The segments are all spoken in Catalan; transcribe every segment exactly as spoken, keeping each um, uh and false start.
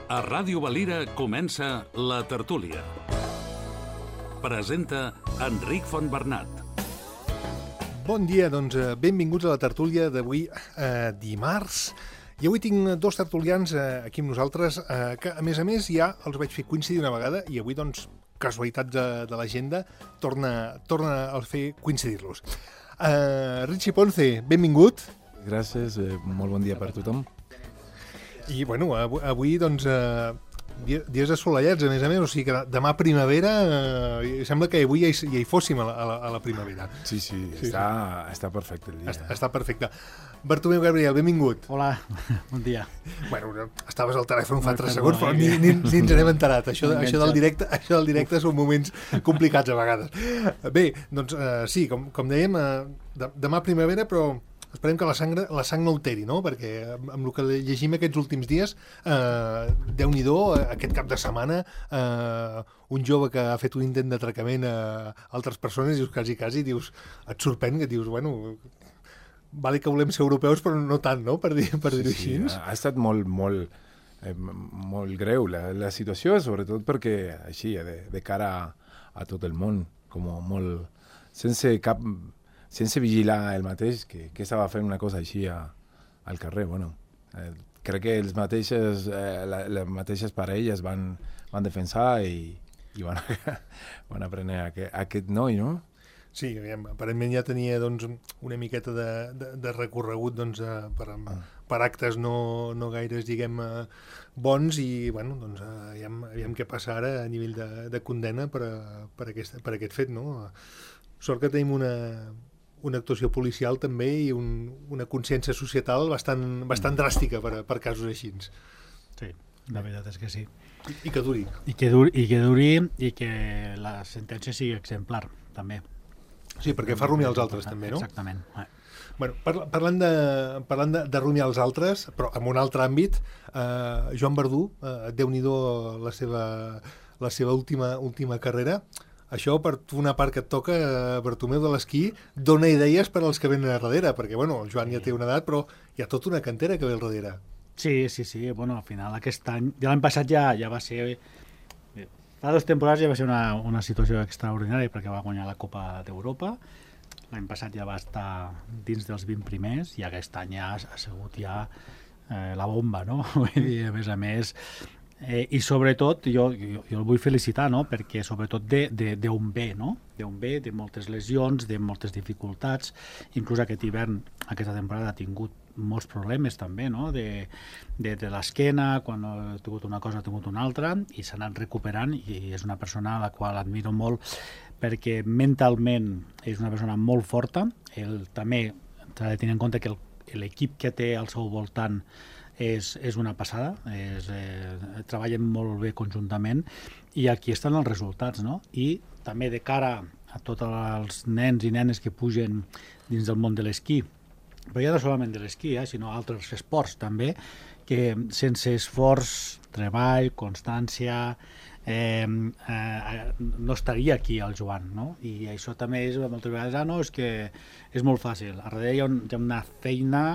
A Ràdio Valira comença La Tertúlia. Presenta Enric Fontbernat. Bon dia, doncs benvinguts a La Tertúlia d'avui, eh, dimarts. I avui tinc dos tertulians eh, aquí amb nosaltres, eh, que a més a més ja els vaig fer coincidir una vegada i avui, doncs, casualitats de, de l'agenda, torna, torna a fer coincidir-los. Eh, Richie Ponce, benvingut. Gràcies, eh, molt bon dia per tothom. I, bueno, avui, avui doncs, eh, dies assolellats, a més a més, o sigui que demà primavera, eh, sembla que avui ja hi, ja hi fóssim a la, a la, a la primavera. Sí, sí, sí, està, sí. està perfecte el dia. Està, està perfecte. Bartomeu Gabriel, benvingut. Hola, bon dia. Bueno, estaves al telèfon fa tres segons, però ni, ni, ni ens n'hem enterat. Això, això, del directe, això del directe són moments complicats a vegades. Bé, doncs eh, sí, com, com dèiem, eh, demà primavera, però esperem que la sang, la sang no alteri, no? Perquè amb el que llegim aquests últims dies, eh, Déu-n'hi-do, aquest cap de setmana, eh, un jove que ha fet un intent d'atracament a altres persones, dius, quasi, quasi, dius, et sorprèn, que dius, bueno, vale que volem ser europeus, però no tant, no?, per dir-ho per dir sí, així. Sí, ha estat molt, molt, eh, molt greu la, la situació, sobretot perquè, així, de, de cara a, a tot el món, com molt, sense cap... sense vigilar el mateix, que, que estava fent una cosa així a, al carrer. Bueno, eh, crec que els mateixes, eh, la, les mateixes parelles van, van defensar i, i van, van aprendre aquest, aquest noi, no? Sí, aparentment ja tenia doncs, una miqueta de, de, de recorregut doncs, eh, per, ah. per actes no, no gaires, diguem, eh, bons i, bueno, doncs, eh, aviam, aviam què passa ara a nivell de, de condena per, a, per, aquest, per aquest fet, no? Sort que tenim una... una actuació policial també i un, una consciència societal bastant, bastant dràstica per, per casos així. Sí, la veritat és que sí. I, i que duri. I que duri, i que duri i que la sentència sigui exemplar, també. Sí, perquè fa rumiar els altres, també, no? Exactament. Bueno, parlant de, parlant de, de rumiar els altres, però en un altre àmbit, eh, Joan Verdú, eh, Déu-n'hi-do la seva, la seva última, última carrera. Això, per una part que et toca, Bartomeu, de l'esquí, dona idees per als que venen a darrere, perquè, bueno, el Joan ja té una edat, però hi ha tota una cantera que ve al darrere. Sí, sí, sí, bueno, al final aquest any, ja l'any passat ja, ja va ser, fa dues temporades ja va ser una, una situació extraordinària perquè va guanyar la Copa d'Europa, l'any passat ja va estar dins dels vint primers i aquest any ja ha sigut ja eh, la bomba, no? Vull dir, a més a més... Eh, i sobretot jo, jo, jo el vull felicitar, no? Perquè sobretot d'on ve, no? D'on ve, de moltes lesions, de moltes dificultats, inclús aquest hivern, aquesta temporada ha tingut molts problemes també, no? De, de, de l'esquena, quan ha tingut una cosa ha tingut una altra, i s'ha anat recuperant i és una persona a la qual admiro molt perquè mentalment és una persona molt forta. Ell també s'ha de tenir en compte que l'equip que té al seu voltant És, és una passada, és, eh, treballen molt bé conjuntament i aquí estan els resultats, no? I també de cara a tots els nens i nenes que pugen dins del món de l'esquí, però ja no solament de l'esquí, eh, sinó altres esports també, que sense esforç, treball, constància, eh, eh, no estaria aquí el Joan, no? I això també és moltes vegades, ah, no, és que és molt fàcil. A darrere hi ha, un, hi ha una feina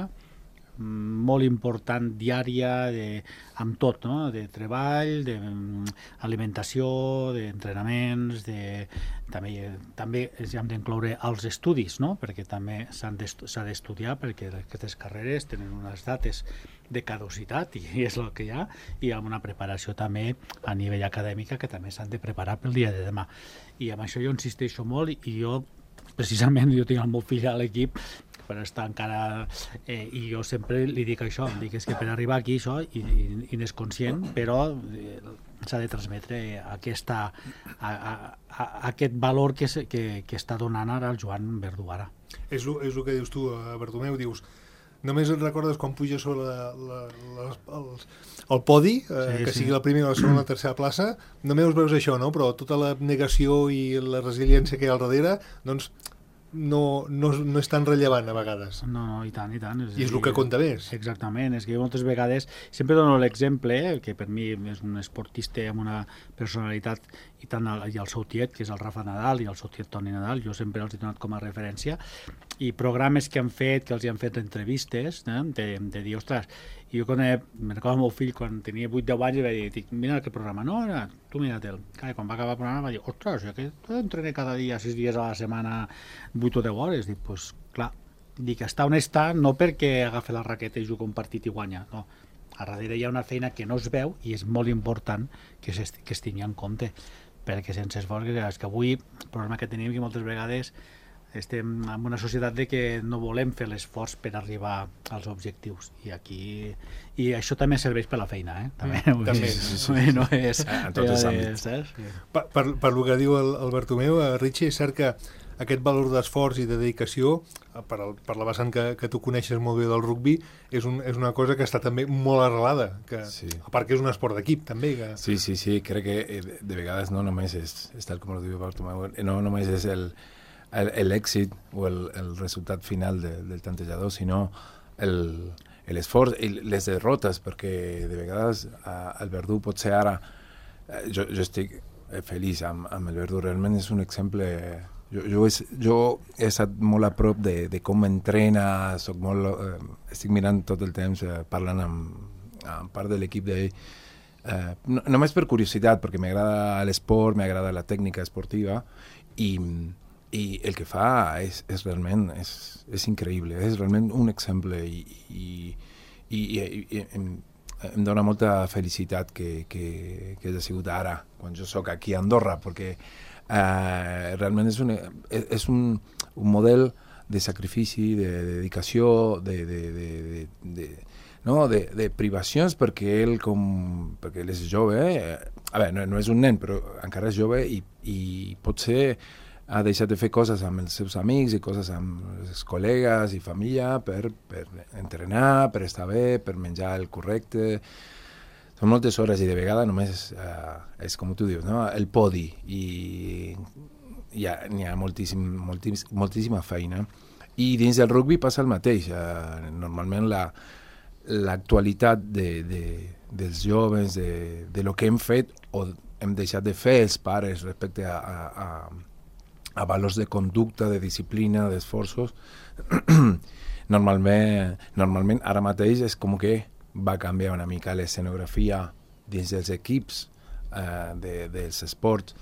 molt important, diària, de, amb tot, no? De treball, d'alimentació, d'entrenaments, de, també, també hem d'incloure els estudis, no? Perquè també s'ha d'estudiar, perquè aquestes carreres tenen unes dates de caducitat i és el que hi ha, i amb una preparació també a nivell acadèmica que també s'han de preparar pel dia de demà. I amb això jo insisteixo molt i jo, precisament, jo tinc el meu fill a l'equip per estar encara... Eh, I jo sempre li dic això, em dic és que per arribar aquí això, i, i, i n'és conscient, però eh, s'ha de transmetre aquesta, a, a, a, aquest valor que, que, que està donant ara el Joan Verdú ara. És el que dius tu, Bartomeu, dius, només et recordes quan puja sobre la, la, la, el, el podi, eh, sí, que sí. sigui la primera, la segona, la tercera plaça, només veus això, no? Però tota la negació i la resiliència que hi ha al darrere, doncs no, no, no és tan rellevant a vegades. No, no, i tant, i tant. És I és el que compta més. Exactament, és que moltes vegades, sempre dono l'exemple, eh, que per mi és un esportista amb una personalitat i tant el, i el seu tiet, que és el Rafa Nadal, i el seu tiet Toni Nadal, jo sempre els he donat com a referència, i programes que han fet, que els hi han fet entrevistes, eh, de, de dir, ostres, i jo quan he, me'n recordo el meu fill, quan tenia vuit deu anys, i vaig dir, dic, mira aquest programa, no, no tu mira-te'l. Clar, quan va acabar el programa va dir, ostres, jo que entrené cada dia, sis dies a la setmana, vuit o deu hores, dic, doncs pues, clar, dic, està on està, no perquè agafa la raqueta i juga un partit i guanya, no, a darrere hi ha una feina que no es veu i és molt important que, que es tingui en compte, perquè sense esforç, és que avui el problema que tenim que moltes vegades estem en una societat de que no volem fer l'esforç per arribar als objectius i aquí i això també serveix per la feina, eh? També, mm, també. Sí, sí, sí. No és, en tots els àmbits. Sí. Per, per, per el que diu el, el Bartomeu, eh, Richie, és cert que aquest valor d'esforç i de dedicació, per, el, per la vessant que, que tu coneixes molt bé del rugby, és, un, és una cosa que està també molt arrelada, que, sí. A part que és un esport d'equip també. Que... Sí, sí, sí, crec que de vegades no només és, és tal com ho diu Bartomeu, no només és el l'èxit o el, el resultat final de, del tantejador, sinó l'esforç i les derrotes, perquè de vegades a, el Verdú potser ara jo, jo estic feliç amb, amb el Verdú, realment és un exemple. Jo, jo, és, jo he estat molt a prop de, de com entrena, soc molt, eh, estic mirant tot el temps, eh, parlant amb, amb part de l'equip d'ell, eh, no, només per curiositat, perquè m'agrada l'esport, m'agrada la tècnica esportiva, i i el que fa és, és realment és, és increïble, és realment un exemple i, i, i, i, i em, em dona molta felicitat que, que, que hagi sigut ara, quan jo sóc aquí a Andorra, perquè eh, realment és, un, és, és un, un model de sacrifici, de, de dedicació, de, de, de, de, de, no, de, de privacions, perquè ell, com, perquè ell és jove, eh? A veure, no, no és un nen, però encara és jove i, i potser ha deixat de fer coses amb els seus amics i coses amb els col·legues i família per, per entrenar, per estar bé, per menjar el correcte. Són moltes hores i de vegades només uh, és com tu dius, no? El podi, i hi ha, hi ha moltíssim, moltíssim, moltíssima feina. I dins del rugby passa el mateix. Uh, normalment la, l'actualitat de, de, dels joves, de, de lo que hem fet o hem deixat de fer els pares respecte a, a, a a valors de conducta, de disciplina, d'esforços, normalment, normalment ara mateix és com que va canviar una mica l'escenografia dins dels equips eh, de, dels esports.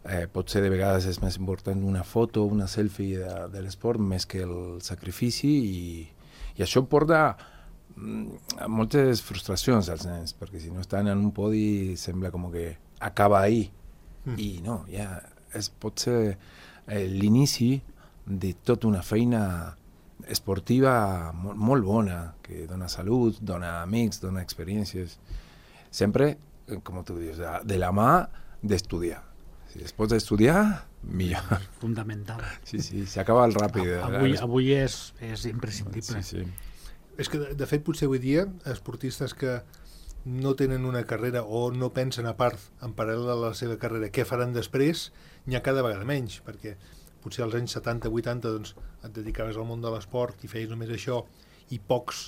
Eh, potser de vegades és més important una foto, una selfie de, de l'esport més que el sacrifici, i, i això porta a moltes frustracions als nens, perquè si no estan en un podi sembla com que acaba ahí, mm. i no, ja és potser eh, l'inici de tota una feina esportiva molt, molt bona, que dona salut, dona amics, dona experiències, sempre, com tu dius, de, de la mà d'estudiar. Si es pots estudiar, millor. Fundamental. Sí, sí, s'acaba el ràpid. Avui, avui és, és imprescindible. Sí, sí. És que, de, de fet, potser avui dia, esportistes que no tenen una carrera o no pensen a part, en paral·lel a la seva carrera, què faran després, n'hi ha cada vegada menys, perquè potser als anys setanta vuitanta doncs, et dedicaves al món de l'esport i feies només això, i pocs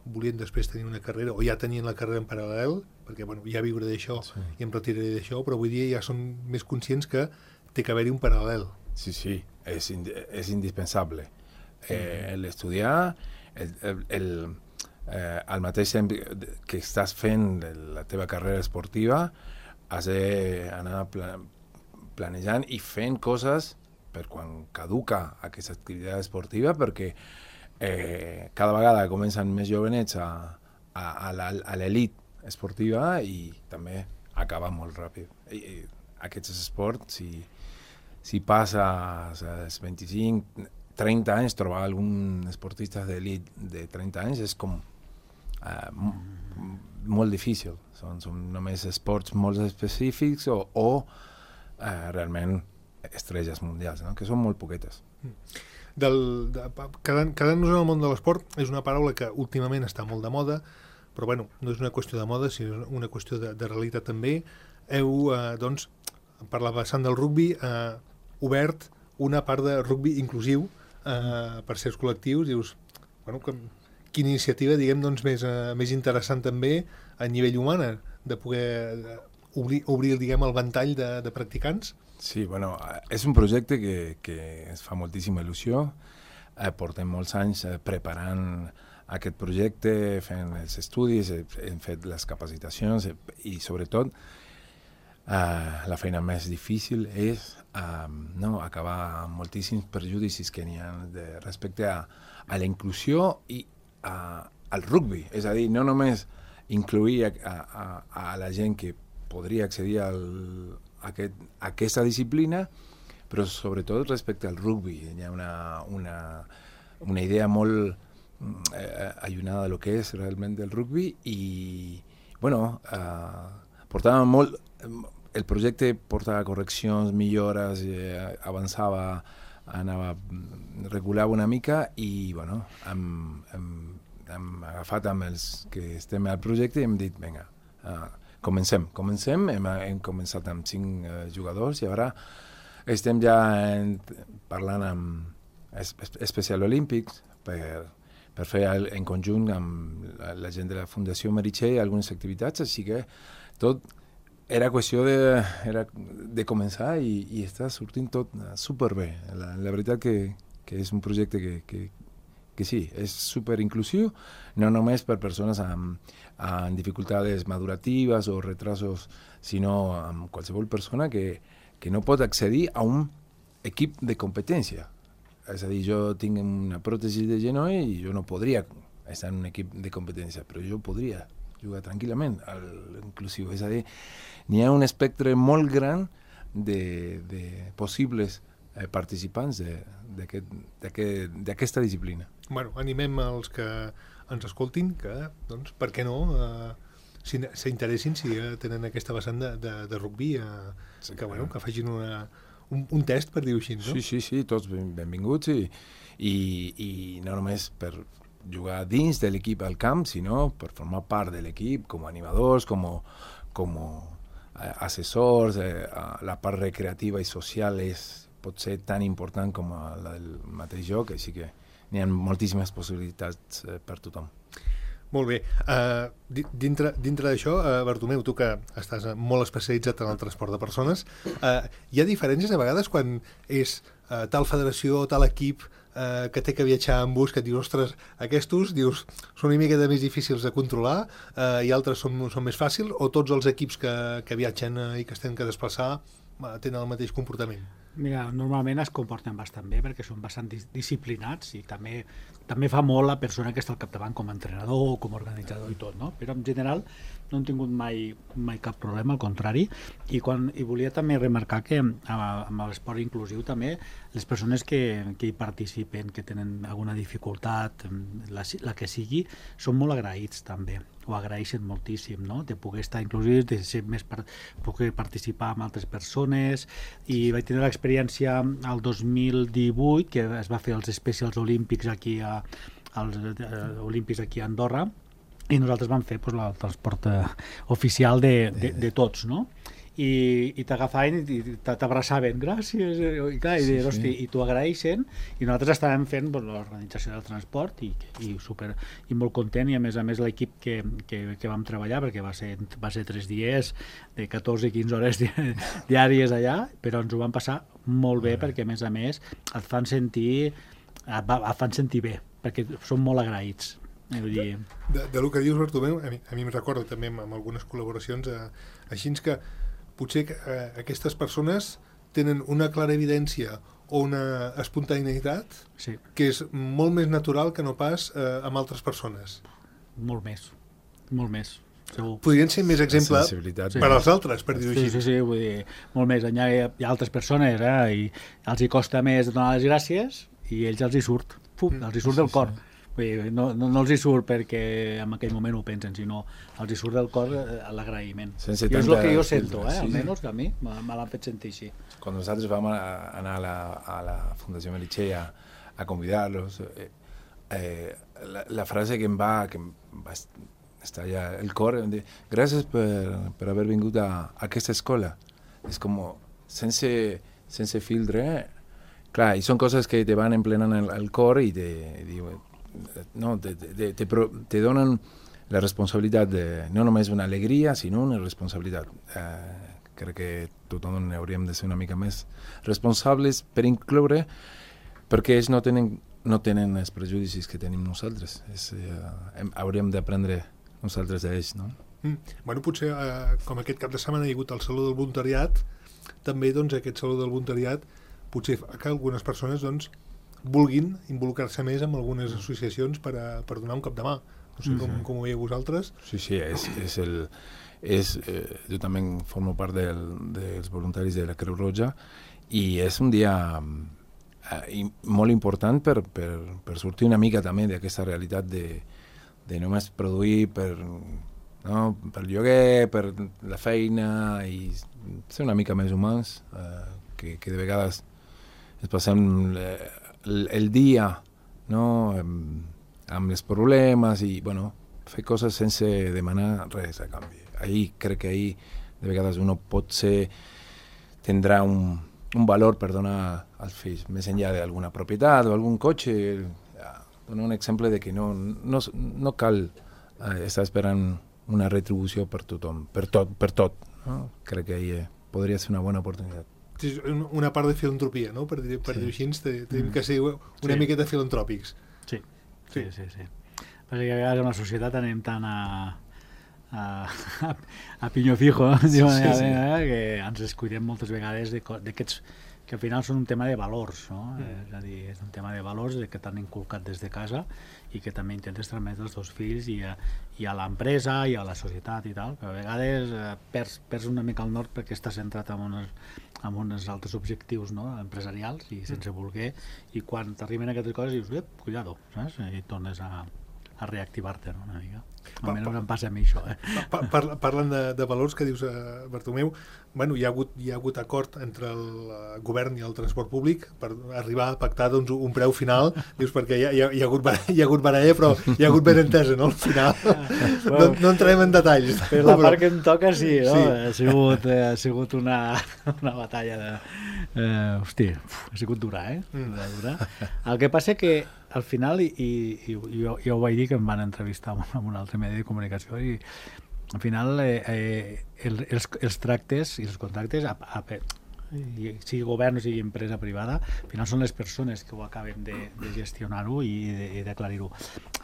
volien després tenir una carrera, o ja tenien la carrera en paral·lel, perquè bueno, ja viure d'això, sí. I em retiraré d'això, però avui dia ja són més conscients que té que haver-hi un paral·lel. Sí, sí, és, ind és indispensable. Eh, l'estudiar, el, el, el Eh, al mateix temps que estàs fent la teva carrera esportiva, has d'anar pla planejant i fent coses per quan caduca aquesta activitat esportiva, perquè eh, cada vegada comencen més jovenets a, a, a l'elit esportiva i també acaba molt ràpid. I, i aquests esports, si, si passes als vint-i-cinc trenta anys, trobar algun esportista d'elit de trenta anys és com Uh, molt difícil. Són, són només esports molt específics o, o uh, realment estrelles mundials, no? Que són molt poquetes. Del, de, quedant-nos en el món de l'esport és una paraula que últimament està molt de moda, però bueno, no és una qüestió de moda, sinó una qüestió de, de realitat també. Heu, uh, doncs, per la vessant del rugby, uh, obert una part de rugby inclusiu uh, per certs col·lectius. Dius, bueno, que quina iniciativa, diguem, doncs, més, uh, més interessant també a nivell humana, de poder obrir, obrir diguem, el ventall de, de practicants? Sí, bueno, és un projecte que, que ens fa moltíssima il·lusió. Eh, portem molts anys eh, preparant aquest projecte, fent els estudis, hem fet les capacitacions eh, i sobretot eh, la feina més difícil és eh, no, acabar amb moltíssims perjudicis que n'hi ha de, respecte a, a la inclusió i a, al rugby. És a dir, no només incluir a, a, a la gent que podria accedir al, a, aquest, a aquesta disciplina, però sobretot respecte al rugby. Hi ha una, una, una idea molt eh, allunada de lo que és realment el rugby i, bueno, eh, portava molt... El projecte portava correccions, millores, eh, avançava, anava, regulava una mica i, bueno, hem, hem, hem agafat amb els que estem al projecte i hem dit, vinga, uh, comencem, comencem, hem, hem començat amb cinc uh, jugadors i ara estem ja en, parlant amb Special Olympics per, per fer el, en conjunt amb la, la gent de la Fundació Meritxell algunes activitats, així que tot era qüestió de, era de començar i, i està sortint tot superbé. La, la veritat que, que és un projecte que, que, que sí, és superinclusiu, no només per persones amb, amb dificultats maduratives o retrasos, sinó amb qualsevol persona que, que no pot accedir a un equip de competència. És a dir, jo tinc una pròtesi de genoll i jo no podria estar en un equip de competència, però jo podria jugar tranquil·lament a l'inclusiu. És a dir, n'hi ha un espectre molt gran de, de possibles eh, participants d'aquesta disciplina. Bueno, animem els que ens escoltin que, doncs, per què no, eh, s'interessin si eh, tenen aquesta vessant de, de, de rugby, eh, sí, que, bueno, que facin una, un, un test, per dir-ho així, no? Sí, sí, sí, tots ben, benvinguts i, i, i no només per jugar dins de l'equip al camp, sinó per formar part de l'equip com a animadors, com, com eh, assessors, eh, la part recreativa i social és, pot ser tan important com la del mateix joc, així que n'hi ha moltíssimes possibilitats eh, per tothom. Molt bé. Uh, dintre dintre d'això, uh, Bartomeu, tu que estàs molt especialitzat en el transport de persones, uh, hi ha diferències a vegades quan és uh, tal federació o tal equip uh, que té que viatjar amb bus, que et dius, ostres, aquests, dius, són una mica més difícils de controlar uh, i altres són, són més fàcils, o tots els equips que, que viatgen uh, i que es tenen que desplaçar uh, tenen el mateix comportament? Mira, normalment es comporten bastant bé perquè són bastant dis disciplinats i també, també fa molt la persona que està al capdavant com a entrenador o com a organitzador i tot, no? Però en general no hem tingut mai, mai cap problema, al contrari, i, quan, i volia també remarcar que amb, amb l'esport inclusiu també les persones que, que hi participen, que tenen alguna dificultat, la, la que sigui, són molt agraïts també, ho agraeixen moltíssim, no? De poder estar inclusius, de ser més per, poder participar amb altres persones, i vaig tenir l'experiència al dos mil divuit que es va fer els Specials Olímpics aquí a, als eh, Olímpics aquí a Andorra, i nosaltres vam fer pues, el transport eh, oficial de, de, de tots, no? I, i t'agafaven i t'abraçaven, gràcies, i, clar, i, sí, hosti, sí. I t'ho agraeixen, i nosaltres estàvem fent pues, l'organització del transport i, i, super, i molt content, i a més a més l'equip que, que, que vam treballar, perquè va ser, va ser tres dies de catorze a quinze hores di, diàries allà, però ens ho vam passar molt bé, perquè a més a més et fan sentir, et, et fan sentir bé, perquè són molt agraïts. De, de, de lo que dius, Bartomeu, a mi, a mi em recordo també amb, amb algunes col·laboracions eh, així que potser que, eh, aquestes persones tenen una clara evidència o una espontaneïtat sí. que és molt més natural que no pas eh, amb altres persones. Molt més, molt més. Segur. Podrien ser més exemple sí. per als altres, per dir-ho sí, així. Sí, sí, vull dir, molt més. Hi ha, hi ha altres persones eh, i els hi costa més donar les gràcies i ells els hi surt, Pum, mm. els hi surt sí, del cor. Sí. No, no, no els hi surt perquè en aquell moment ho pensen, sinó els hi surt del cor l'agraïment. I és el que jo sento, eh? almenys que a mi me l'han fet sentir així. Quan nosaltres vam anar a la, a la Fundació Meritxell a, a convidar-los, eh, eh, la, la frase que em va, que em va estallar el cor, em dir, gràcies per, per haver vingut a, a aquesta escola. És com, sense, sense filtre, eh? Clar, i són coses que te van emplenant el, el cor i te diuen, no, te, te, te, te donen la responsabilitat de, no només una alegria, sinó una responsabilitat. Eh, crec que tothom hauríem de ser una mica més responsables per incloure, perquè ells no tenen, no tenen els prejudicis que tenim nosaltres. És, eh, hem, hauríem d'aprendre nosaltres d'ells, no? Mm. Bueno, potser, eh, com aquest cap de setmana hi ha hagut el Saló del Voluntariat, també doncs, aquest Saló del Voluntariat potser fa que algunes persones doncs, vulguin involucrar-se més amb algunes associacions per, a, per donar un cop de mà. No sé com, com ho veieu vosaltres. Sí, sí, és, és el... És, eh, jo també formo part del, dels voluntaris de la Creu Roja i és un dia eh, molt important per, per, per sortir una mica també d'aquesta realitat de, de només produir per, no, per lloguer, per la feina i ser una mica més humans, eh, que, que de vegades es passem el, el dia, no, amb els problemes i bueno, fer coses sense demanar res a canvi. Ahí crec que ahí de vegades uno pot ser, tindrà un, un valor per donar als fills, més enllà d'alguna propietat o algun cotxe. Donar un exemple de que no, no, no cal eh, estar esperant una retribució per tothom, per tot, per tot. No? Crec que ahí eh, podria ser una bona oportunitat. Sí, una part de filantropia, no? Per dir, per sí. dir així, tenim que ser una sí. miqueta filantròpics. Sí, sí, sí. sí, sí. Perquè a vegades en la societat anem tant a, a, a pinyó fijo, sí, sí, sí. que ens descuidem moltes vegades d'aquests que al final són un tema de valors, no? Mm. És a dir, és un tema de valors que t'han inculcat des de casa i que també intentes transmetre als teus fills i a, i a l'empresa i a la societat i tal, però a vegades eh, perds, perds una mica el nord perquè estàs centrat en uns, en uns altres objectius, no? Empresarials i sense voler, i quan t'arriben aquestes coses dius, ep, cuidado, saps? I tornes a a reactivar-te, no? Una mica. Almenys em passa a mi això. Eh? Pa, pa, parlant de, de valors que dius, eh, Bartomeu, bueno, hi ha hagut, hi ha hagut acord entre el uh, govern i el transport públic per arribar a pactar doncs, un preu final, dius, perquè hi ha, hi ha, hi ha, hagut, hi ha hagut baralla, però hi ha hagut ben entesa, no? Al final bueno, no, no entrarem en detalls. Per la part que em toca, sí, no? Sí. Ha sigut, eh, ha sigut una, una batalla de... Eh, hosti, uf, ha sigut dura, eh? Mm. Dura. El que passa que al final, i, i, i jo, jo ho vaig dir que em van entrevistar en un altre medi de comunicació, i al final eh, eh, el, els, els tractes i els contractes, a, a, sigui govern o sigui empresa privada, al final són les persones que ho acaben de, de gestionar-ho i de, i d'aclarir-ho.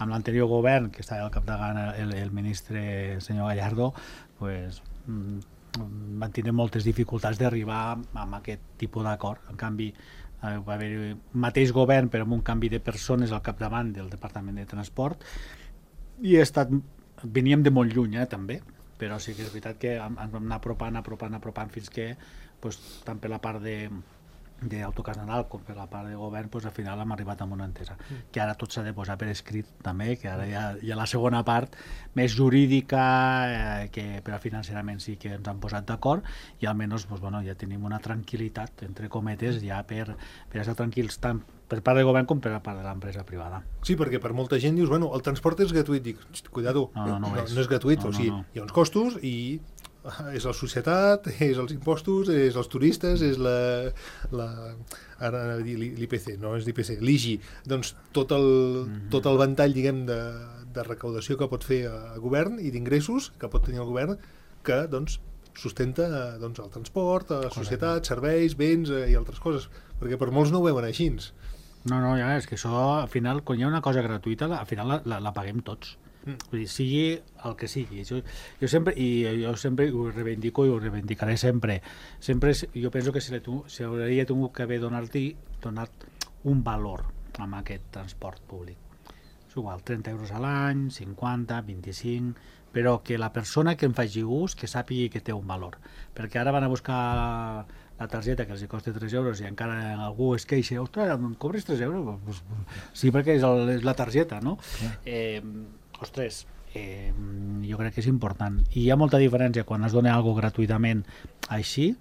Amb l'anterior govern, que estava al capdavant el, el ministre senyor Gallardo, pues, van tenir moltes dificultats d'arribar a aquest tipus d'acord. En canvi, va haver un mateix govern però amb un canvi de persones al capdavant del Departament de Transport i he estat, veníem de molt lluny eh, també, però sí que és veritat que ens vam anar apropant, apropant, apropant fins que pues, tant per la part de d'Autocar Nadal com per la part de govern pues, al final hem arribat a una entesa mm. que ara tot s'ha de posar per escrit també, que ara hi ha, hi ha la segona part més jurídica eh, que però financerament sí que ens han posat d'acord i almenys pues, bueno, ja tenim una tranquil·litat entre cometes ja per, per estar tranquils tant per part del govern com per la part de l'empresa privada. Sí, perquè per molta gent dius, bueno, el transport és gratuït, dic, cuidado, no, no, no, no, és. no és gratuït, no, o sigui, no, no. hi ha uns costos i és la societat, és els impostos, és els turistes, és la, la ara l'I P C, no és l'I P C, l'I G I, doncs tot el, mm-hmm. tot el ventall, diguem, de, de recaudació que pot fer el govern i d'ingressos que pot tenir el govern que, doncs, sustenta doncs, el transport, la societat, serveis, béns eh, i altres coses, perquè per molts no ho veuen així. No, no, ja és que això, al final, quan hi ha una cosa gratuïta, al final la, la, la paguem tots. Mm. Vull dir, sigui el que sigui. Jo, jo sempre, i jo sempre ho reivindico i ho reivindicaré sempre. Sempre jo penso que si hauria tingut que haver donat, donat un valor a aquest transport públic. És igual, trenta euros a l'any, cinquanta, vint-i-cinc, però que la persona que en faci ús que sàpigui que té un valor. Perquè ara van a buscar la targeta que els costa tres euros i encara algú es queixa, ostres, em cobres tres euros? Pues, sí, perquè és, el, és la targeta, no? Yeah. Eh, ostres, eh, jo crec que és important. I hi ha molta diferència quan es dona alguna gratuïtament així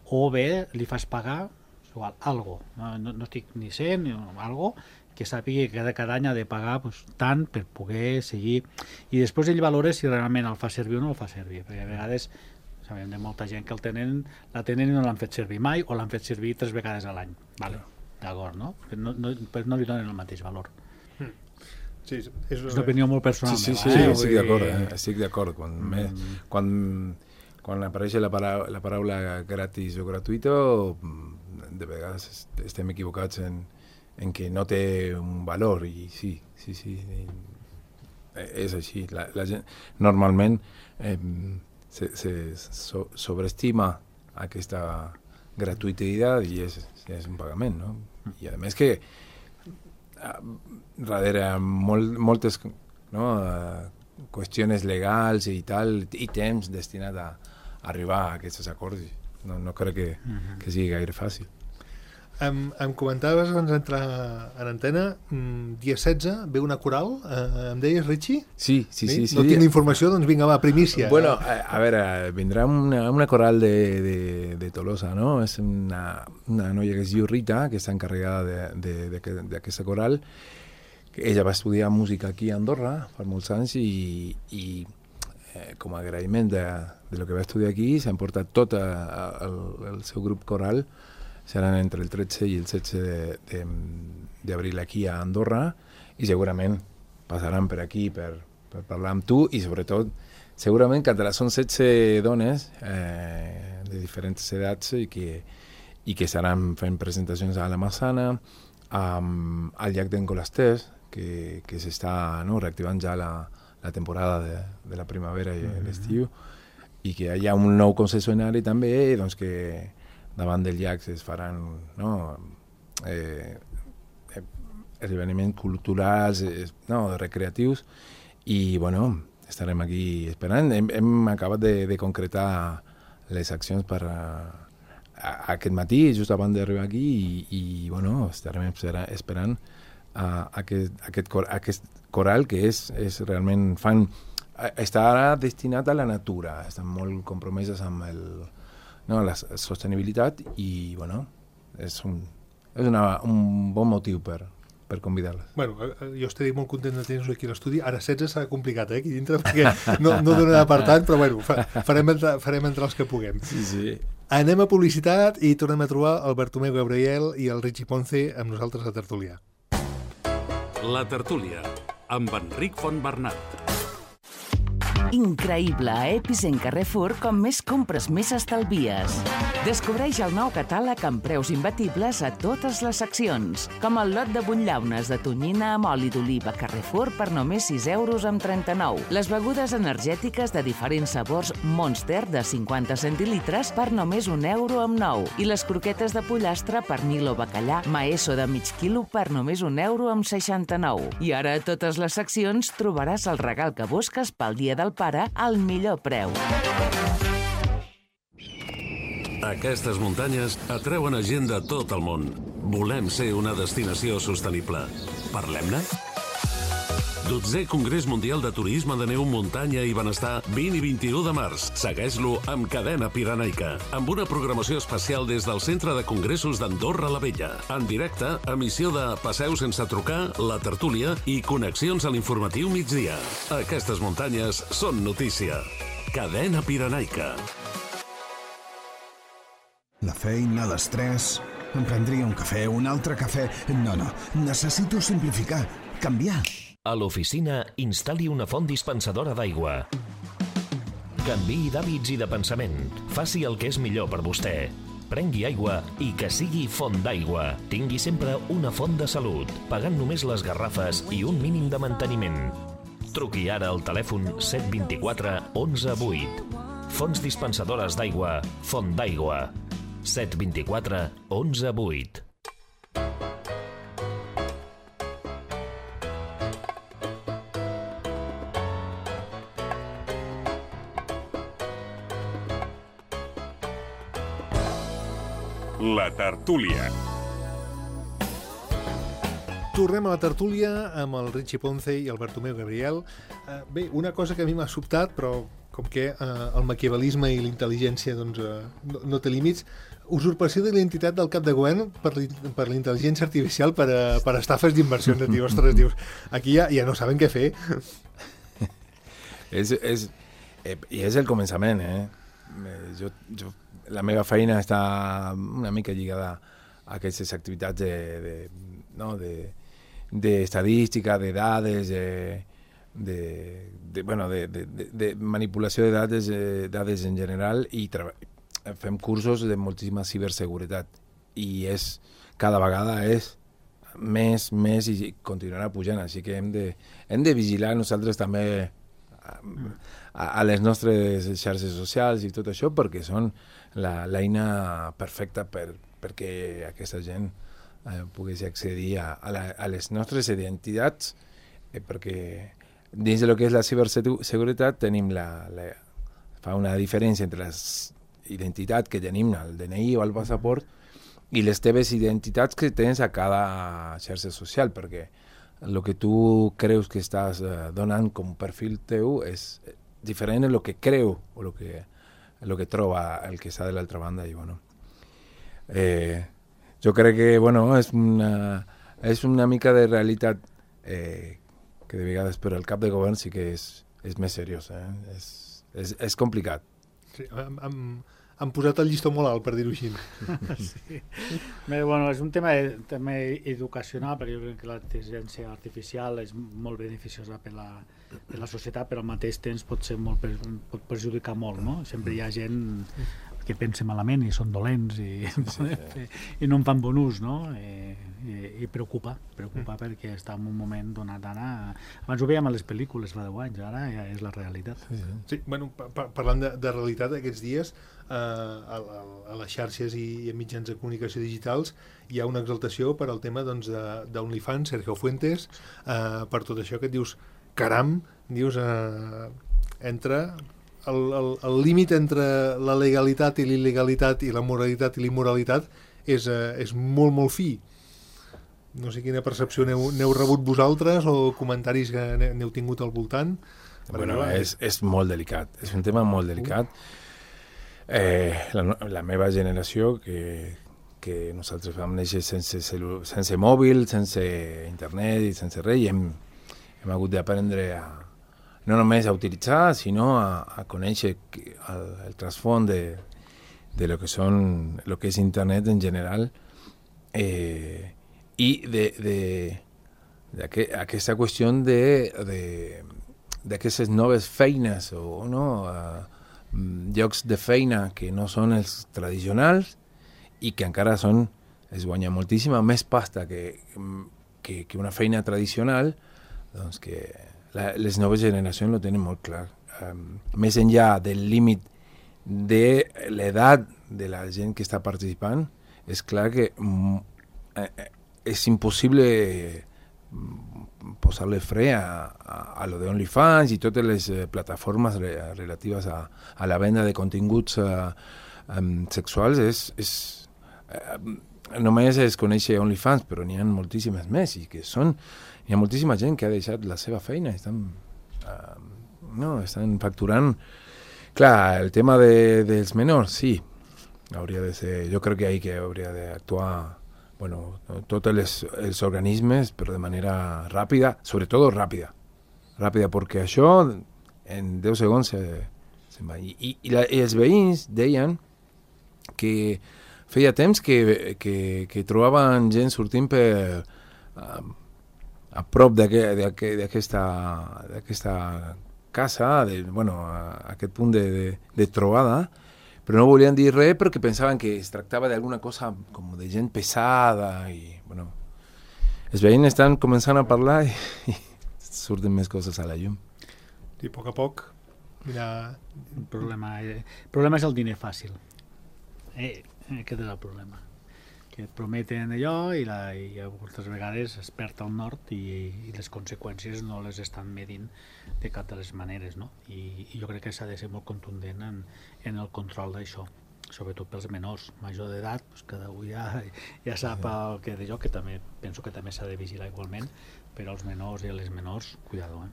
o bé li fas pagar igual, algo. No, no, no estic ni sent, ni algo que sàpigui que cada, cada any ha de pagar pues, tant per poder seguir. I després ell valora si realment el fa servir o no el fa servir, perquè a vegades sabem de molta gent que el tenen, la tenen i no l'han fet servir mai o l'han fet servir tres vegades a l'any. Vale, d'acord, no? Però no, no, però no li donen el mateix valor. Sí, és, és una opinió molt personal. Sí, sí, sí, meva, eh? estic d'acord, eh? estic d'acord. Quan, mm. me, quan, quan apareix la, para, la paraula gratis o gratuïto, de vegades estem equivocats en, en que no té un valor, i sí, sí, sí, és així. La, la gent normalment eh, se, se so, sobreestima aquesta gratuïtat i és, és un pagament, no? I a més que darrere molt, moltes no, uh, qüestions legals i tal, i temps destinat a arribar a aquests acords. No, no crec que, uh-huh. que sigui gaire fàcil. Em, em comentaves abans d'entrar en antena, mm, dia setze ve una coral, eh, em deies, Richie? Sí, sí, sí. sí no sí. tinc informació, doncs vinga, va, primícia. Bueno, a, a veure, vindrà una, una coral de, de, de Tolosa, no? És una, una noia que es diu Rita, que està encarregada d'aquesta coral. Ella va estudiar música aquí a Andorra fa molts anys i, i eh, com a agraïment de, de lo que va estudiar aquí s'ha emportat tot a, a, el, el seu grup coral. Seran entre el tretze i el setze d'abril aquí a Andorra i segurament passaran per aquí per, per parlar amb tu i sobretot segurament que són setze dones eh, de diferents edats i que, i que estaran fent presentacions a la Massana, um, al llac d'en Colasters, que, que s'està no, reactivant ja la, la temporada de, de la primavera i mm-hmm. l'estiu, i que hi ha un nou concessionari també, doncs que davant del llac es faran no, eh, eh, esdeveniments culturals, eh, no, recreatius, i bueno, estarem aquí esperant. Hem, hem acabat de, de concretar les accions per a, a, aquest matí, just abans d'arribar aquí, i, i bueno, estarem esperant a, a aquest, aquest, cor, aquest coral que és, és realment fan, estarà destinat a la natura, estan molt compromeses amb el no, la sostenibilitat i, bueno, és un, és una, un bon motiu per, per convidar-les. Bueno, jo estaré molt content de tenir-los aquí a l'estudi. Ara setze serà complicat, eh, aquí dintre, perquè no, no donarà per tant, però bueno, fa, farem, entre, farem entre els que puguem. Sí, sí. Anem a publicitat i tornem a trobar el Bartomeu Gabriel i el Richie Ponce amb nosaltres a Tertúlia. La Tertúlia, amb Enric Fontbernat. Increïble, a Epicent Carrefour, com més compres més estalvies. Descobreix el nou catàleg amb preus imbatibles a totes les seccions, com el lot de butllaunes de tonyina amb oli d'oliva Carrefour per només sis euros amb trenta-nou. Les begudes energètiques de diferents sabors Monster de cinquanta centilitres per només un euro amb nou. I les croquetes de pollastre pernil o bacallà Maeso de mig quilo per només un euro amb seixanta-nou. I ara a totes les seccions trobaràs el regal que busques pel dia del pare al millor preu. Aquestes muntanyes atreuen a gent de tot el món. Volem ser una destinació sostenible. Parlem-ne? dotzè Congrés Mundial de Turisme de Neu, Muntanya i Benestar, vint i vint-i-u de març. Segueix-lo amb Cadena Pirenaica, amb una programació especial des del Centre de Congressos d'Andorra la Vella. En directe, emissió de Passeu sense trucar, La Tertúlia i connexions a l'informatiu migdia. Aquestes muntanyes són notícia. Cadena Pirenaica. La feina, l'estrès... Em prendria un cafè, un altre cafè... No, no, necessito simplificar, canviar. A l'oficina, instal·li una font dispensadora d'aigua. Canviï d'hàbits i de pensament. Faci el que és millor per vostè. Prengui aigua i que sigui font d'aigua. Tingui sempre una font de salut, pagant només les garrafes i un mínim de manteniment. Truqui ara al telèfon set dos quatre onze vuit. Fonts dispensadores d'aigua, Font d'aigua. set dos quatre onze vuit. La Tertúlia. Tornem a la tertúlia amb el Richie Ponce i el Bartomeu Gabriel. Uh, bé, una cosa que a mi m'ha sobtat, però com que uh, el maquiavelisme i la intel·ligència doncs, uh, no, no té límits, usurpació de l'identitat del cap de govern per, per la intel·ligència artificial per, a, per estafes d'inversions. Dius, ostres, dius, aquí ja, ja no saben què fer. és, és, eh, I és el començament, eh? Jo, jo, la meva feina està una mica lligada a aquestes activitats de, de, no, de, d'estadística, de dades, de, de, de, bueno, de, de, de manipulació de dades, de dades en general, i fem cursos de moltíssima ciberseguretat. I és, cada vegada és més, més i continuarà pujant, així que hem de, hem de vigilar nosaltres també a, a les nostres xarxes socials i tot això, perquè són l'eina perfecta per, perquè aquesta gent eh, pogués accedir a, a, la, a les nostres identitats, eh, perquè dins del que és la ciberseguretat tenim la, la, fa una diferència entre la identitat que tenim al D N I o al passaport i les teves identitats que tens a cada xarxa social, perquè el que tu creus que estàs eh, donant com perfil teu és diferent del que creu o el que, lo que troba el que està de l'altra banda. I, bueno, eh, jo crec que bueno, és, una, és una mica de realitat eh, que de vegades per al cap de govern sí que és, és més seriós. Eh? És, és, és complicat. Sí, amb, amb han posat el llistó molt alt, per dir-ho així. Sí. Bé, bueno, és un tema de, també educacional, perquè jo crec que la intel·ligència artificial és molt beneficiosa per la, per la societat, però al mateix temps pot ser molt, pot perjudicar molt, no? Sempre hi ha gent que pensa malament i són dolents i, sí, sí. i no en fan bon ús, no? I, i, i preocupa, preocupa mm. perquè està en un moment donat ara... Abans ho veiem a les pel·lícules fa deu anys, ara ja és la realitat. Sí, sí. Sí, bueno, pa parlant de, de realitat, aquests dies eh, a, a, a les xarxes i, i a mitjans de comunicació digitals hi ha una exaltació per al tema doncs, d'OnlyFans, Sergio Fuentes, eh, per tot això que et dius, caram, dius, eh, entra... El, el, el límit entre la legalitat i l'il·legalitat i la moralitat i l'immoralitat és, eh, és molt, molt fi. No sé quina percepció n'heu rebut vosaltres o comentaris que n'heu tingut al voltant. Bueno, és, és molt delicat, és un tema molt delicat. Eh, la, la meva generació, que, que nosaltres vam néixer sense, sense mòbil, sense internet i sense res, i hem, hem hagut d'aprendre a no només a utilitzar, sinó a, a conèixer el, el trasfons de, de lo que són, lo que és internet en general, eh, i de, de, de aquesta qüestió de, de, d'aquestes noves feines o no, uh, llocs de feina que no són els tradicionals i que encara són, es guanya moltíssima més pasta que, que, que una feina tradicional, doncs que La, les noves generacions ho tenen molt clar. Um, més enllà del límit de l'edat de la gent que està participant, és clar que mm, eh, és impossible posar-le fre a, a, a lo de OnlyFans i totes les eh, plataformes re, relatives a, a la venda de continguts uh, um, sexuals. És, és, uh, només es coneix OnlyFans, però n'hi ha moltíssimes més i que són... Hi ha moltíssima gent que ha deixat la seva feina, estan, uh, no, estan facturant. Clar, el tema de, dels menors, sí, hauria de ser, jo crec que ahí que hauria d'actuar, bueno, tots els, els organismes, però de manera ràpida, sobretot ràpida, ràpida, perquè això en deu segons se, se'n va. I, i, i, la, i els veïns deien que feia temps que, que, que trobaven gent sortint per... Uh, a prop d'aquesta casa, de, bueno, a aquest punt de, de, de trobada, però no volien dir res perquè pensaven que es tractava d'alguna cosa com de gent pesada i, bueno, els veïns estan començant a parlar i, i surten més coses a la llum. I a poc a poc, mira... El problema, el problema és el diner fàcil. Eh, aquest és el problema. Que et prometen allò i, la, i moltes vegades es perd el nord i, i les conseqüències no les estan medint de cap de les maneres, no? I, i jo crec que s'ha de ser molt contundent en, en el control d'això, sobretot pels menors. Major d'edat, doncs cada un ja, ja sap el que d'allò, que també penso que també s'ha de vigilar igualment, però els menors i les menors, cuidado, eh?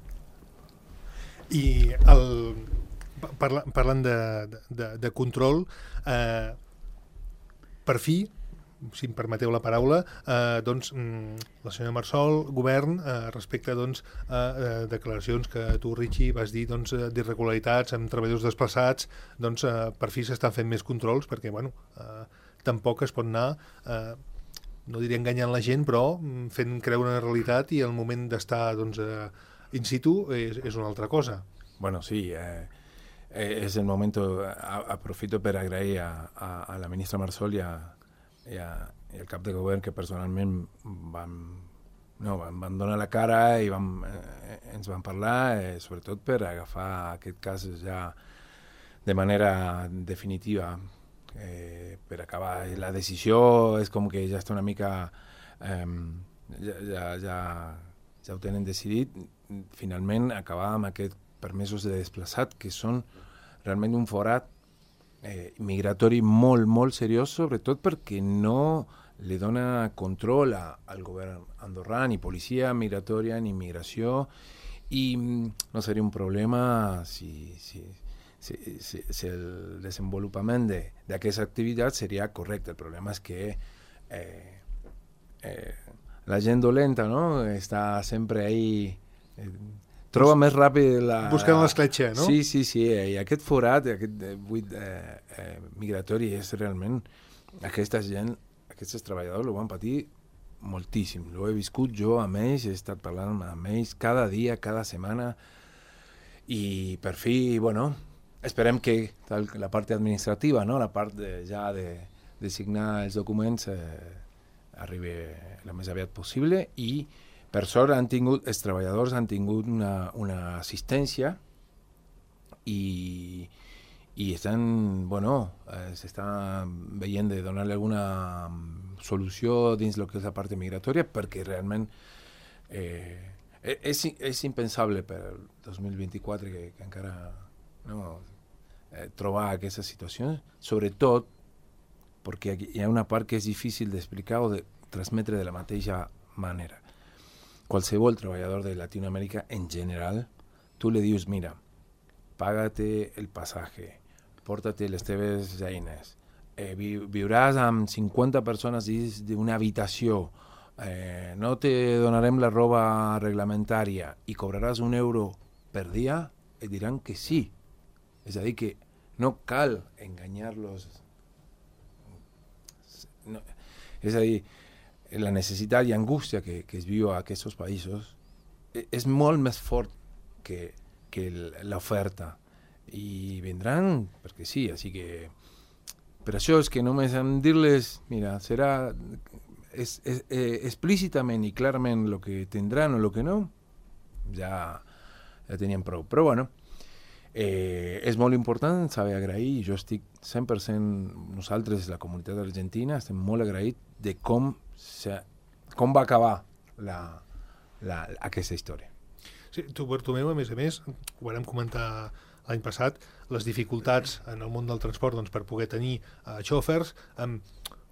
I el, parla, parlant de, de, de control, eh, per fi, si em permeteu la paraula, eh, doncs, la senyora Marsol, govern, eh, respecte doncs, a eh, declaracions que tu, Richie, vas dir doncs, d'irregularitats amb treballadors desplaçats, doncs, eh, per fi s'estan fent més controls, perquè bueno, eh, tampoc es pot anar eh, no diré enganyant la gent, però fent creure una realitat i el moment d'estar doncs, eh, in situ és, és una altra cosa. Bueno, sí, eh, eh, es el momento, a, aprofito per agrair a, a, a la ministra Marsol i, a, i, a, i al cap de govern que personalment van, no, van, van donar la cara i van, eh, ens van parlar, eh, sobretot per agafar aquest cas ja de manera definitiva, eh, per acabar. La decisió és com que ja està una mica... Eh, ja, ja, ja, ja ho tenen decidit, finalment acabar amb aquests permesos de desplaçat, que són realment un forat eh, migratori molt, molt seriós, sobretot perquè no li dona control a, al govern andorrà, ni policia migratòria, ni migració, i no seria un problema si, si, si, si, si el desenvolupament d'aquesta activitat seria correcte. El problema és que eh, eh, la gent dolenta, no?, està sempre ahí... Eh, troba més ràpid la... Buscant l'escletxa, no? Sí, sí, sí, i aquest forat, aquest buit eh, eh, migratori és realment... Aquesta gent, aquests treballadors ho van patir moltíssim. Ho he viscut jo amb ells, he estat parlant amb ells cada dia, cada setmana, i per fi, bueno, esperem que tal, la part administrativa, no?, la part de, ja de, de signar els documents eh, arribi el més aviat possible, i per sort han tingut, els treballadors han tingut una, una assistència i, i estan, bueno, eh, s'estan veient de donar-li alguna solució dins el que és la part migratòria, perquè realment eh, és, és impensable per el dos mil vint-i-quatre que, que encara no, eh, trobar aquesta situació, sobretot perquè hi ha una part que és difícil d'explicar o de transmetre de la mateixa manera. Qualsevol treballador de Latinoamèrica en general, tu li dius, mira, pàgate el passatge, porta-te les teves eines, eh, vi, viuràs amb cinquanta persones dins d'una habitació, eh, no te donarem la roba reglamentària i cobraràs un euro per dia, et diran que sí. És a dir, que no cal enganyar-los. No, és a dir, la necessitat i angústia que, que es viu a aquests països és molt més fort que, que l'oferta. I vindran perquè sí, així que per això és que només en dir-les, mira, serà es, es, eh, explícitament i clarament el que tindran o el que no, ja, ja tenien prou. Però bueno, eh, és molt important saber agrair, jo estic cent per cent, nosaltres, la comunitat argentina, estem molt agraïts de com se, com va acabar la, la, aquesta història. Sí, tu, Bartomeu, a més a més, ho vam comentar l'any passat, les dificultats en el món del transport doncs, per poder tenir uh, xòfers amb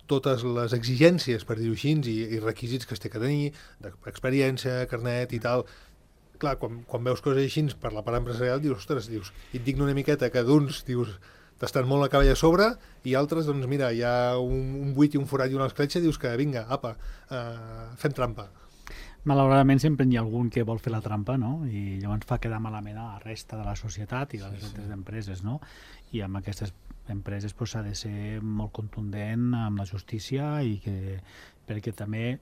totes les exigències, per dir-ho així, i, i requisits que es té que tenir, d'experiència, carnet i tal. Clar, quan, quan veus coses així per la part empresarial, dius, ostres, dius, i et digno una miqueta que d'uns, dius, t'estan molt la cavall a sobre, i altres, doncs mira, hi ha un, un buit i un forat i una escletxa, dius que vinga, apa, uh, fem trampa. Malauradament sempre hi ha algun que vol fer la trampa, no? I llavors fa quedar malament a la resta de la societat i a les sí, altres sí. empreses, no? I amb aquestes empreses pues, s'ha de ser molt contundent amb la justícia i que, perquè també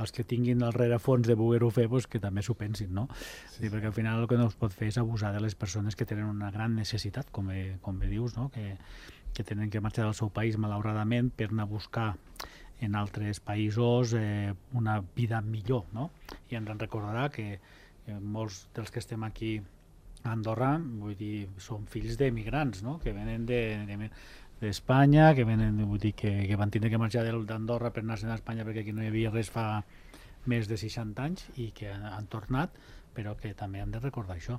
els que tinguin el rerefons de voler-ho fer, pues, que també s'ho pensin, no? Sí, sí. Perquè al final el que no es pot fer és abusar de les persones que tenen una gran necessitat, com bé, com bé dius, no? Que, que tenen que marxar del seu país malauradament per anar a buscar en altres països eh, una vida millor, no? I ens en recordarà que eh, molts dels que estem aquí a Andorra, vull dir, són fills d'emigrants, no? Que venen de, de, d'Espanya, que venen, vull dir, que, que van tindre que marxar d'Andorra per anar-se'n a Espanya perquè aquí no hi havia res fa més de seixanta anys i que han, han tornat, però que també han de recordar això.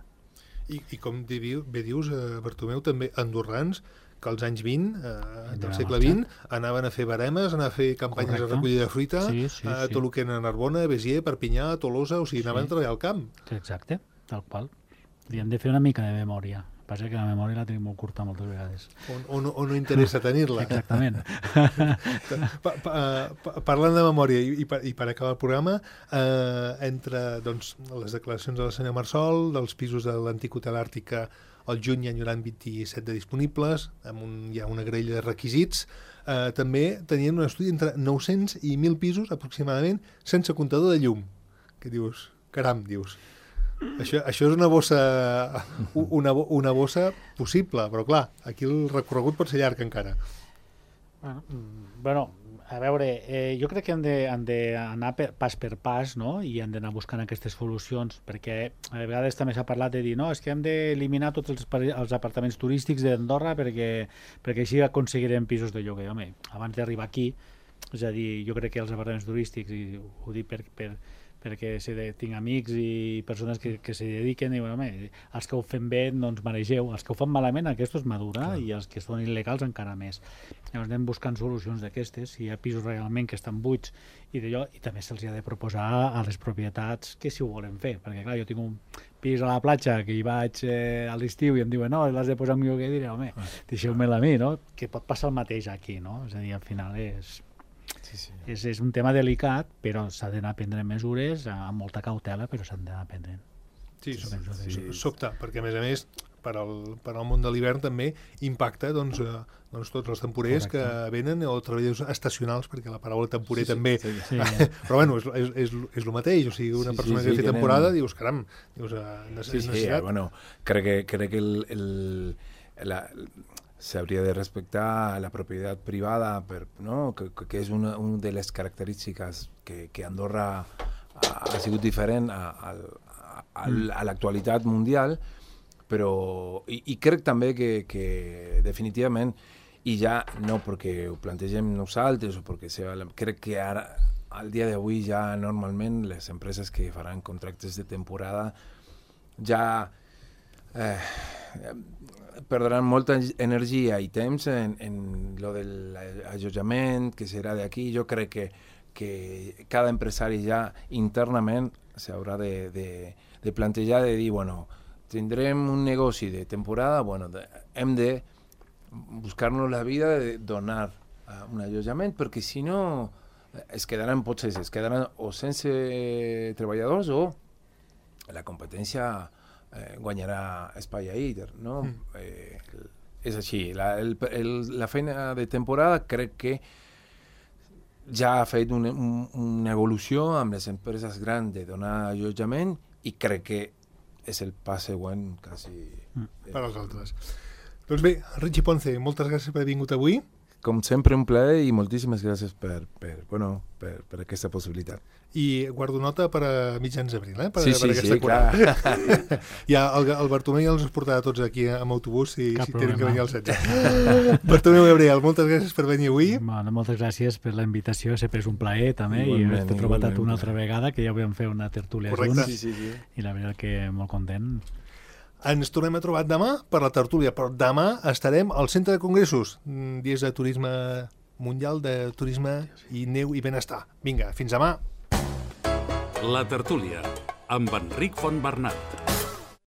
I, i com bé dius, eh, Bartomeu, també andorrans que als anys vint eh, del segle vint anaven a fer baremes, anaven a fer campanyes Correcte. de recollida de fruita, sí, sí, a tot el que era Narbona, Béziers, Perpinyà, Tolosa, o sigui, anaven sí. a treballar al camp. Exacte, tal qual. I hem de fer una mica de memòria, passa que la memòria la tenim molt curta moltes vegades. O, o, no, o no interessa tenir-la. Exactament. pa, pa, pa, parlant de memòria, i, i, per, i per acabar el programa, eh, entre doncs, les declaracions de la senyora Marsol, dels pisos de l'antic hotel Àrtica, al juny hi hauran vint-i-set de disponibles, amb un, hi ha una graella de requisits. Eh, també tenien un estudi entre nou-cents i mil pisos, aproximadament, sense comptador de llum. Que dius, caram, dius... Això, això és una bossa, una, una bossa possible, però clar, aquí el recorregut pot ser llarg encara. Bueno, bueno a veure, eh, jo crec que hem d'anar pas per pas, no? I hem d'anar buscant aquestes solucions, perquè a vegades també s'ha parlat de dir no, és que hem d'eliminar tots els, els apartaments turístics d'Andorra perquè, perquè així aconseguirem pisos de lloguer. Home, abans d'arribar aquí, és a dir, jo crec que els apartaments turístics, i ho dic per... per perquè si de, tinc amics i persones que, que s'hi dediquen i diuen, home, els que ho fem bé no ens maregeu, els que ho fan malament aquests és madura i els que són il·legals encara més. Llavors anem buscant solucions d'aquestes, si hi ha pisos realment que estan buits i d'allò, i també se'ls ha de proposar a les propietats que si ho volen fer, perquè clar, jo tinc un pis a la platja que hi vaig eh, a l'estiu i em diuen, no, l'has de posar en lloguer, i diré, home, deixeu-me-la a mi, no? Que pot passar el mateix aquí, no? És a dir, al final és... Sí, sí. És, és un tema delicat, però s'ha d'anar a prendre mesures amb molta cautela, però s'han d'anar a prendre. Sí, sí, sí, sí. Sobte, perquè a més a més per al, per al món de l'hivern també impacta doncs, eh, doncs tots els temporers Correcte. Que venen o treballadors estacionals, perquè la paraula temporer sí, també sí, sí, sí. Però bueno, és, és, és, és el mateix, o sigui, una sí, persona sí, sí, que té tenen... temporada dius, caram, dius, eh, necessitat. Sí, sí, eh, bueno, crec que, crec que el, el, la, s'hauria de respectar la propietat privada, per, no? que, que és una, una de les característiques que, que Andorra ha, ha sigut diferent a, a, a, a l'actualitat mundial, però i, i crec també que, que definitivament, i ja no perquè ho plantegem nosaltres o perquè sea, crec que ara al dia d'avui ja normalment les empreses que faran contractes de temporada ja eh, perdran molta energia i temps en, en lo del allotjament, que serà d'aquí. Jo crec que, que cada empresari ja internament s'haurà de, de, de plantejar, de dir, bueno, tindrem un negoci de temporada, bueno, de, hem de buscar-nos la vida de donar uh, un allotjament, perquè si no es quedaran, potser es quedaran o sense treballadors o la competència Eh, guanyarà espai a ell, no? Mm. Eh, és així. La, el, el, la feina de temporada crec que ja ha fet un, un, una evolució amb les empreses grans de donar allotjament i crec que és el pas següent quasi. Mm. Eh, per als altres. Doncs bé, Richie Ponce, moltes gràcies per haver vingut avui. Com sempre, un plaer i moltíssimes gràcies per, per, bueno, per, per aquesta possibilitat. I guardo nota per a mitjans d'abril, eh? Per, sí, per sí, sí, clar. Ja, el, el Bartomeu ja els portarà tots aquí amb autobús si, si tenen que venir al setze. Bartomeu Gabriel, moltes gràcies per venir avui. Bueno, moltes gràcies per la invitació, sempre és un plaer també, igualment, i haver-te trobat a tu una altra vegada, que ja vam fer una tertúlia junts, sí, sí, sí. I la veritat que molt content. Ens tornem a trobar demà per la tertúlia, però demà estarem al Centre de Congressos, dies de turisme mundial, de turisme i neu i benestar. Vinga, fins demà. La tertúlia, amb Enric Fontbernat.